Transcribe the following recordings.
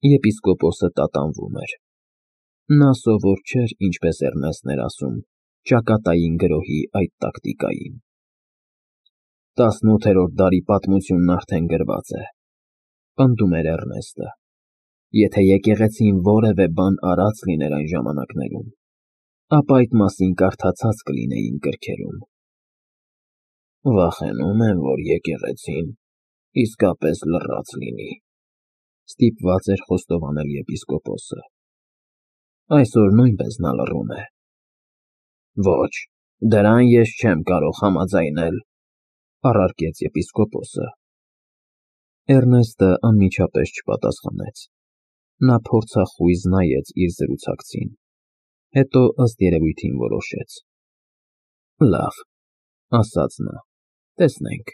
Եպիսկոպոսը տատանվում էր։ Նա սովոր չէր, ինչպես Էռնեստն էր ասում, ճակատային գրոհի այդ տակտիկային։ 18-րդ դարի պատմությունն արդեն գրված է, պնդում էր Էռնեստը։ Եթե եկեղեցին որևէ բան արած լիներ այն ժամանակներում, ապա այդ մասին կարդացած կլինեին գրքերում։ Վախենում եմ, որ եկեղեցին իսկապես լռած լինի, ստիպված էր խոստովանել եպիսկոպոսը։ Այսօր նույնպես նա լռում է։ Ոչ, դրան ես չեմ կարող համաձայնել, առարկեց եպիսկոպոսը։ Էռնեստը անմիջապես չպատասխանեց։ Նա փորձախույզ նայեց իր զրուցակցին, հետո ըստ երևույթին որոշեց. Լավ, ասաց նա, տեսնենք։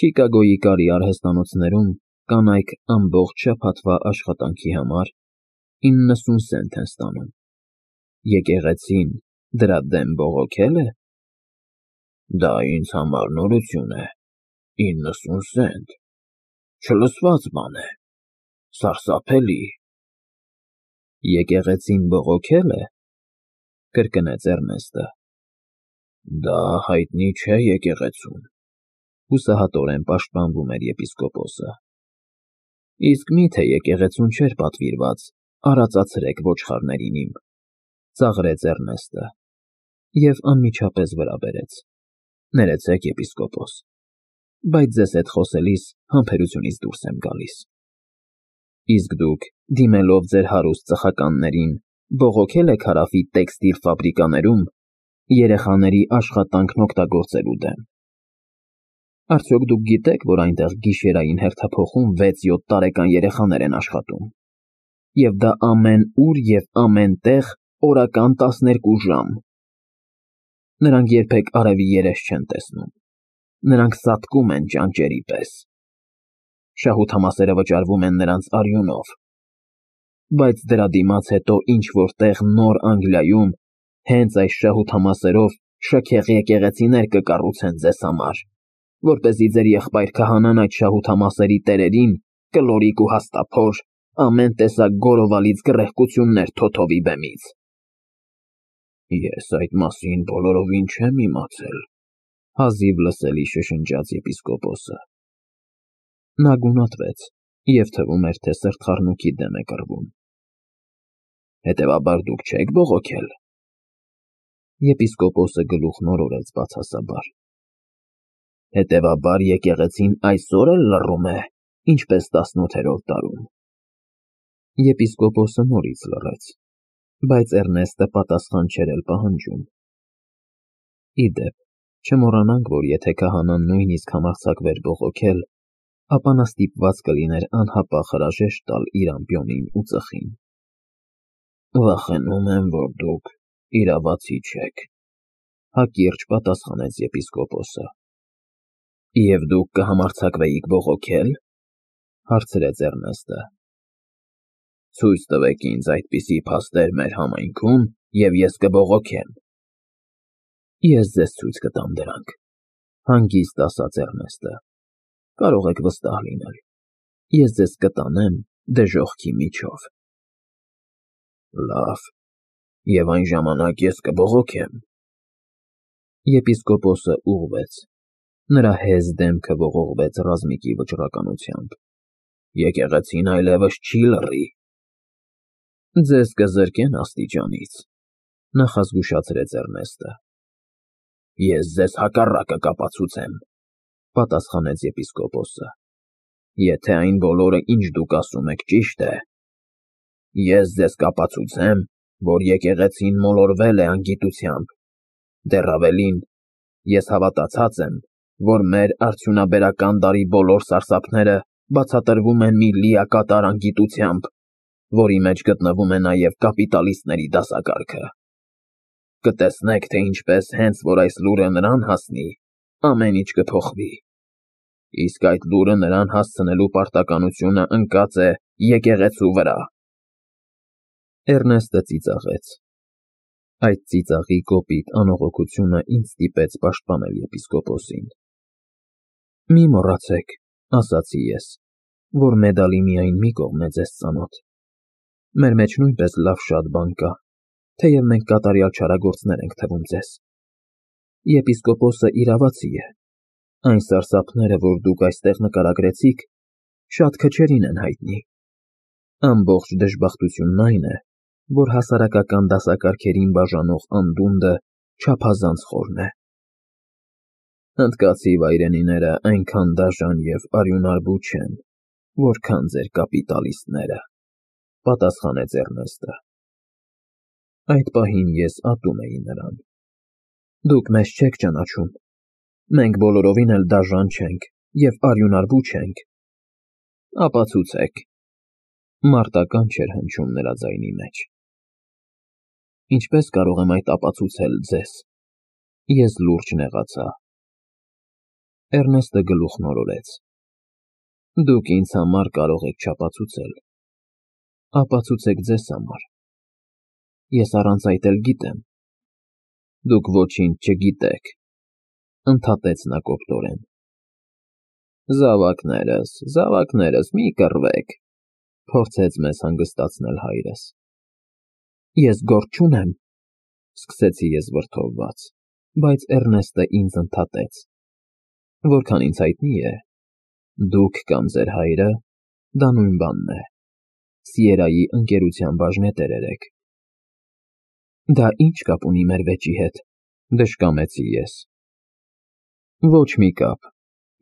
Չիկագոյի կարի արհեստանոցներում կանայք ամբողջ շաբաթվա աշխատանքի համար 90 սենտ են ստանում։ Եկեղեցին դրա դեմ բողոքել է։ Դա ինձ համար նորություն է, 90 սենտ, չլսված բան է, սարսափելի։ Եկեղեցին բողոքել է, կրկնեց Էռնեստը։ Դա հայտնի չէ եկեղեցուն, հուսահատորեն պաշտպանվում էր եպիսկոպոսը։ Իսկ միթե եկեղեցուն չէր պատվիրված արածացրեք ոչխարներին իմ, ծաղրեց Էռնեստը և անմիջապես վրա բերեց. Ներեցեք, եպիսկոպոս, բայց ձեզ հետ խոսելիս համբերությունից դուրս եմ գալիս։ Իսկ դուք, դիմելով ձեր հարուստ ծխականներին, բողոքել եք Հարավի տեքստիլ ֆաբրիկաներում երեխաների աշխատանքն օգտագործելու դեմ։ Արդյոք դուք գիտեք, որ այնտեղ գիշերային հերթափոխում 6-7 տարեկան երեխաներ են աշխատում, և դա ամեն ուր և ամեն տեղ օրական 12 ժամ։ Նրանք երբեք արևի երես չեն տեսնում, նրանք սատկում են ճանճերի պես։ Շահութամասերը վճարվում են նրանց արյունով, բայց դրա դիմաց հետո ինչ-որ տեղ Նոր Անգլիայում հենց այս շահութամասերով շքեղ եկեղեցիներ կկառուցեն ձեզ համար, որպեսզի ձեր եղբայր քահանան այդ շահութամասերի տերերին կլորիկ ու հաստափոր ամեն տեսակ գորովալից գռեհկություններ թոթովի բեմից։ Ես այդ մասին բոլորովին չեմ իմացել, հազիվ լսելի շշնջաց եպիսկոպոսը։ Նա գունատվեց և թվում էր, թե սրտխառնոքի դեմ է կռվում։ Հետևաբար դուք չեք բողոքել։ Եպիսկոպոսը գլուխն օրորեց բացասաբար։ Հետևաբար եկեղեցին այսօր էլ լռում է, ինչպես 18-րդ դարում։ Եպիսկոպոսը նորից լռեց, բայց Էռնեստը պատասխան չէր էլ պահանջում։ Ի դեպ, չմոռանանք, որ եթե քահանան նույնիսկ համարձակվեր բողոքել, ապա նա ստիպված կլիներ անհապաղ հրաժեշտ տալ իր ամբիոնին ու ծխին։ Վախենում եմ, որ դուք իրավացի չեք, հակիրճ պատասխանեց եպիսկոպոսը։ Եվ դուք կհամարձակվեիք բողոքել, հարցրեց Էռնեստը։ Ցույց տվեք ինձ այդպիսի փաստեր մեր համայնքում, և ես կբողոքեմ։ Ես ձեզ ցույց կտամ դրանք, հանգիստ ասաց Էռնեստը։ Կարող եք վստահ լինել, ես ձեզ կտանեմ դժոխքի միջով։ Լավ, և այն ժամանակ ես կբողոքեմ։ Եպիսկոպոսը ուղղվեց։ Նրա հեզ դեմքը ողողվեց ռազմիկի վճռականությամբ։ Եկեղեցին այլևս չի լռի։ Ձեզ կզրկեն աստիճանից, նախազգուշացրեց Էռնեստը։ Ես ձեզ հակառակը կապացուցեմ, պատասխանեց եպիսկոպոսը։ Եթե այն բոլորը, ինչ դուք ասում եք, ճիշտ է, ես ձեզ կապացուցեմ, որ եկեղեցին մոլորվել է անգիտությամբ։ Դեռ ավելին, ես հավատացած եմ, որ մեր արդյունաբերական դարի բոլոր սարսափները բացատրվում են մի լիակատար անգիտությամբ, որի մեջ գտնվում է նաև կապիտալիստների դասակարգը։ Կտեսնեք, թե ինչպես հենց որ այս լուրը նրան հասնի, ամեն ինչ կփոխվի։ Իսկ այդ լուրը նրան հասցնելու պարտականությունը ընկած է եկեղեցու վրա։ Էռնեստը ծիծաղեց։ Այդ ծիծաղի կոպիտ անողոքությունը ինձ ստիպեց պաշտպանել եպիսկոպոսին։ Մի մոռացեք, ասացի ես, որ մեդալի միայն մի կողմն է ձեզ ծանոթ։ Մեր մեջ նույնպես լավ շատ բան կա, թեև մենք կատարյալ չարագործներ ենք թվում ձեզ։ Եպիսկոպոսը իրավացի է։ Այն սարսափները, որ դուք այստեղ նկարագրեցիք, շատ քչերին են հայտնի։ Ամբողջ դժբախտությունն այն է, որ հասարակական դասակարգերին բաժանող անդունդը չափազանց խորն է։ Հնդկացի վայրենիները այնքան դաժան և արյունարբու չեն, որքան ձեր կապիտալիստները, պատասխանեց Էրնեստը։ Այդ պահին ես ատում էի նրան։ Դուք մեզ չեք ճանաչում։ Մենք բոլորովին էլ դաժան չենք և արյունարբու չենք։ Ապացուցեք։ Մարտական չէր հնչում նրա ձայնի մեջ։ Ինչպես կարող եմ այդ ապացուցել ձեզ։ Ես լուրջ նեղացա։ Էրնեստը գլուխն օրորեց։ Դուք ինձ համար կարող եք չապացուցել։ Ապացուցեք ձեզ համար։ Ես առանց այդ էլ գիտեմ։ Դուք ոչինչ չգիտեք, ընդհատեց նա կոպտորեն։ Զավակներս, մի կռվեք, փորձեց մեզ հանգստացնել հայրս։ Ես գործ չունեմ, սկսեցի ես վրդովված, բայց Էրնեստը ինձ ընդհատեց։ Որքան ինձ հայտնի է, դուք կամ ձեր հայրը, դա նույն բանն է, Սիերայի ընկերության բաժնետերեր եք։ Դա ինչ կապ ունի մեր վեճի հետ, դժկամեցի ես։ Ոչ մի կապ,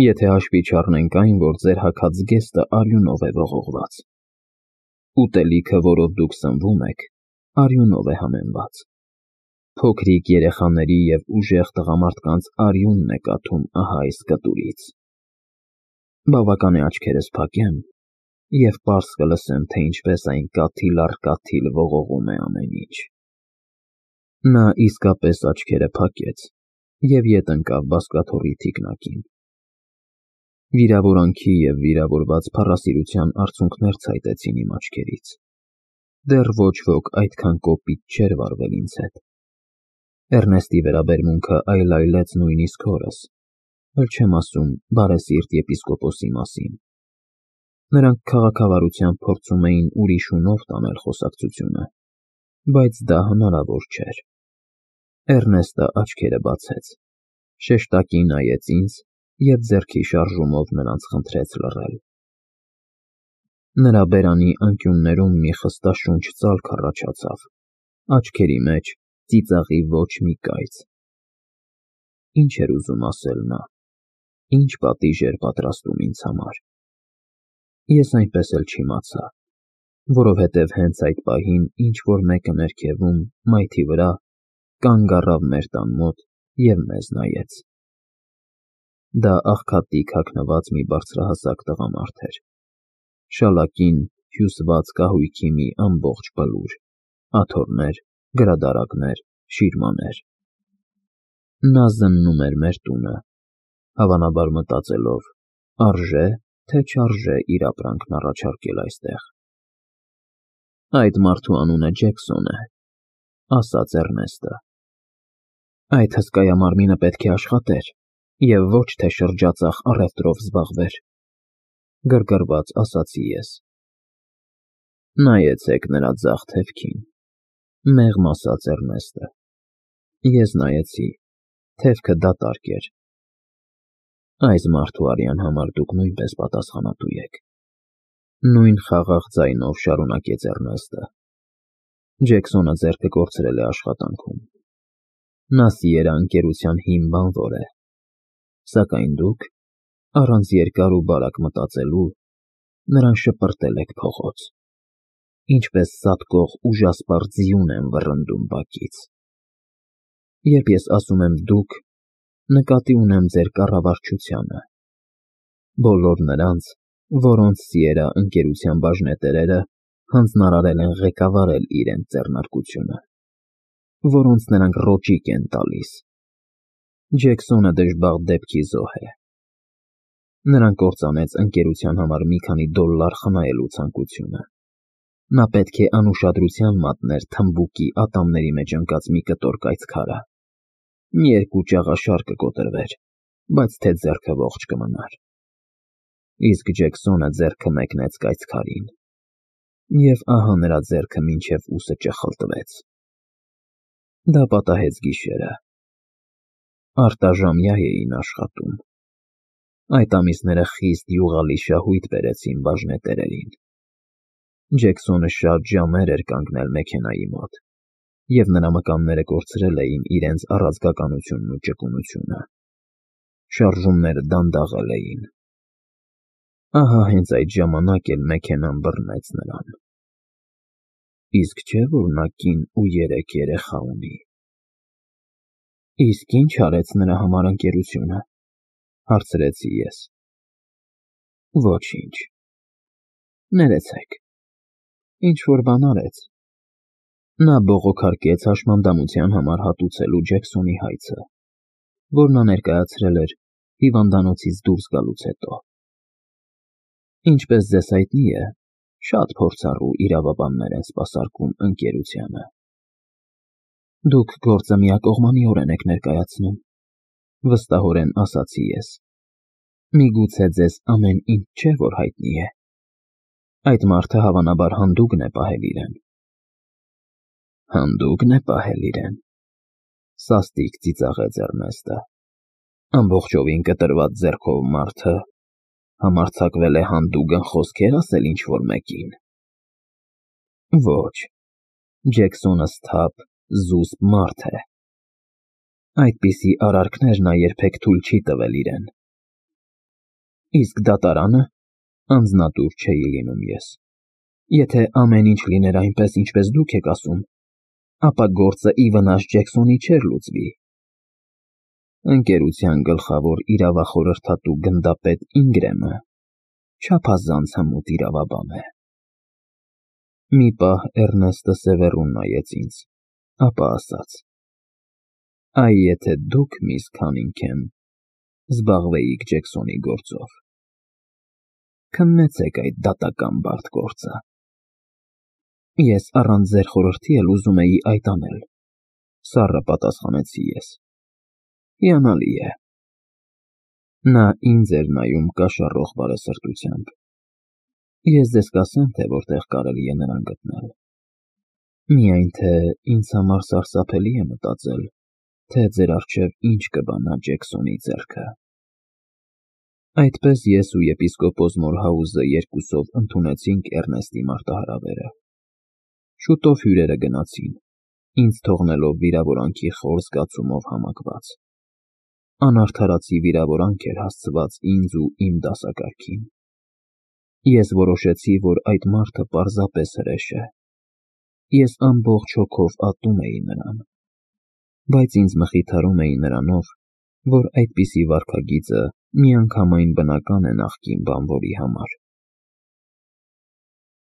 եթե հաշվի չառնենք այն, որ ձեր հագած զգեստը արյունով է ողողված։ Ուտելիքը, որով դուք սնվում եք, արյունով է համեմված։ Փոքրիկ երեխաների և ուժեղ տղամարդկանց արյունն է կաթում ահա այս կտուրից։ Բավական է աչքերս փակեմ և պարզ կլսեմ, թե ինչպես այն կաթիլ առ կաթիլ ողողում է ամեն ինչ։ Նա իսկապես աչքերը փակեց և ետ ընկավ բազկաթոռի թիկնակին։ Վիրավորանքի և վիրավորված փառասիրության արցունքներ ցայտեցին իմ աչքերից։ Դեռ ոչ ոք այդքան կոպիտ չէր վարվել ինձ հետ։ Էրնեստի վերաբերմունքը այլայլեց նույնիսկ հորս, էլ չեմ ասում բարեսիրտ եպիսկոպոսի մասին։ Նրանք քաղաքավարությամբ փորձում էին ուրիշունով տանել խոսակցությունը, բայց դա հնարավոր չէր։ Էրնեստը աչքերը բացեց, շեշտակի նայեց ինձ և ձեռքի շարժումով նրանց խնդրեց լռել։ Նրա բերանի անկյուններում մի խստաշունչ ծալք առաջացավ, աչքերի մեջ ծիծաղի ոչ մի կայծ։ Ինչ էր ուզում ասել նա, ինչ պատիժ էր պատրաստում ինձ համար։ Ես այնպես էլ չիմացա, որովհետև հենց այդ պահին ինչ-որ մեկը ներքևում, մայթի վրա, կանգ առավ մեր տան մոտ և մեզ նայեց։ Դա աղքատիկ հագնված մի բարձրահասակ տղամարդ էր։ Շալակին հյուսված կահույքի մի ամբողջ բլուր, աթոռներ, գրադարակներ, շիրմաներ։ Նա զննում էր մեր տունը, հավանաբար մտածելով, արժե, թե չարժե իր ապրանքն առաջարկել այստեղ։ Այդ մարդու անունը Ջեքսոն է, ասաց Էրնեստը։ Այդ հսկայամարմինը պետք է աշխատեր և ոչ թե շրջածախ առևտրով զբաղվեր, գրգռված ասացի ես։ Նայեցեք նրա ձախ թևքին, մեղմ ասաց Էրնեստը։ Ես նայեցի, թևքը դատարկ էր։ Այս մարդու արյան համար դուք նույնպես պատասխանատու եք։ Նույն խաղաղ ձայնով շարունակեց Էրնեստը։ Ջեքսոնը ձեռքը կորցրել է աշխատանքում։ Նա Սիերա ընկերության հիմն բանվոր է։ Սակայն դուք, առանց երկար ու բարակ մտածելու, նրան շպրտել եք փողոց։ Ինչպես սատկող ուժասպառ ձիուն են վռնդում բակից։ Երբ ես ասում եմ դուք, նկատի ունեմ ձեր կառավարչությանը։ Բոլոր նրանց, որոնց Սիերա ընկերության բաժնետերերը հանձնարարել են ղեկավարել իրենց ձեռնարկությունը, որոնց նրանք ռոճիկ են տալիս։ Ջեքսոնը դժբախտ դեպքի զոհ է։ Նրան կործանեց ընկերության համար մի քանի դոլար խնայելու ցանկությունը։ Նա պետք է անուշադրության մատներ թմբուկի ատամների մեջ ընկած մի կտոր կայծքարը։ Մի երկու ճաղաշար կկոտրվեր, բայց թե ձեռքը ողջ կմնար։ Իսկ Ջեքսոնը ձեռքը մեկնեց կայծքարին, և ահա նրա ձեռքը մինչև ուսը ճխլտվեց։ Դա պատահեց գիշերը։ Արտաժամյա էին աշխատում։ Այդ ամիսները խիստ յուղալի շահույթ բերեցին բաժնետերերին։ Ջեքսոնը շատ ժամեր էր կանգնել մեքենայի մոտ, և նրա մկանները կորցրել էին իրենց առաձգականությունն ու ճկունությունը։ Շարժումները դանդաղել էին։ Ահա հենց այդ ժամանակ էլ մեքենան բռնեց նրան։ Իսկ չէ՞ որ նա կին ու 3 երեխա ունի։ Իսկ ի՞նչ արեց նրա համար ընկերությունը, հարցրեցի ես։ Ոչինչ։ Ներեցեք, ինչ-որ բան արեց։ Նա բողոքարկեց հաշմանդամության համար հատուցելու Ջեքսոնի հայցը, որ նա ներկայացրել էր հիվանդանոցից դուրս գալուց հետո։ Ինչպես ձեզ հայտնի է, շատ փորձառու իրավաբաններ են սպասարկում ընկերությանը։ Դուք գործը միակողմանիորեն եք ներկայացնում, վստահորեն ասացի ես։ Միգուցե ձեզ ամեն ինչ չէ, որ հայտնի է։ Այդ մարդը հավանաբար հանդուգն է պահել իրեն։ Հանդուգն է պահել իրեն, սաստիկ ծիծաղեց Էռնեստը։ Ամբողջովին կտրված ձեռքով մարդը համարձակվել է հանդուգն խոսքեր ասել ինչ-որ մեկին։ Ոչ, Ջեքսոնը սթափ, զուսպ մարդ է։ Այդպիսի արարքներ նա երբեք թույլ չի տվել իրեն։ Իսկ դատարանը անձնատուր չէի լինում ես։ Եթե ամեն ինչ լիներ այնպես, ինչպես դուք եք ասում, ապա գործը ի վնաս Ջեքսոնի չէր լուծվի։ Ընկերության գլխավոր իրավախորհրդատու գնդապետ Ինգրեմը չափազանց հմուտ իրավաբան է։ Մի պահ Էռնեստը սևեռուն նայեց ինձ, ապա ասաց. Այ եթե դուք, միս Քանինգհեմ, զբաղվեիք Ջեքսոնի գործով, քննեցեք այդ դատական բարդ գործը։ Ես առանց ձեր խորհրդի էլ ուզում էի այդ անել, սառը պատասխանեցի ես։ Հիանալի է։ Նա ինձ էր նայում կաշառող բարեսրտությամբ։ Ես ձեզ կասեմ, թե որտեղ կարելի է նրան գտնել։ Միայն թե ինձ համար սարսափելի է մտածել, թե ձեր առջև ինչ կբանա Ջեքսոնի ձեռքը։ Այդպես ես ու եպիսկոպոս Մորհաուզը երկուսով ընդունեցինք Էռնեստի մարտահրավերը։ Շուտով հյուրերը գնացին, ինձ թողնելով վիրավորանքի խոր զգացումով համակված։ Անարդարացի վիրավորանք էր հասցված ինձ ու իմ դասակարգին։ Ես որոշեցի, որ այդ մարդը պարզապես հրեշ է։ Ես ամբողջ հոգով ատում էի նրան, բայց ինձ մխիթարում էի նրանով, որ այդպիսի վարքագիծը միանգամայն բնական է նախկին բանվորի համար։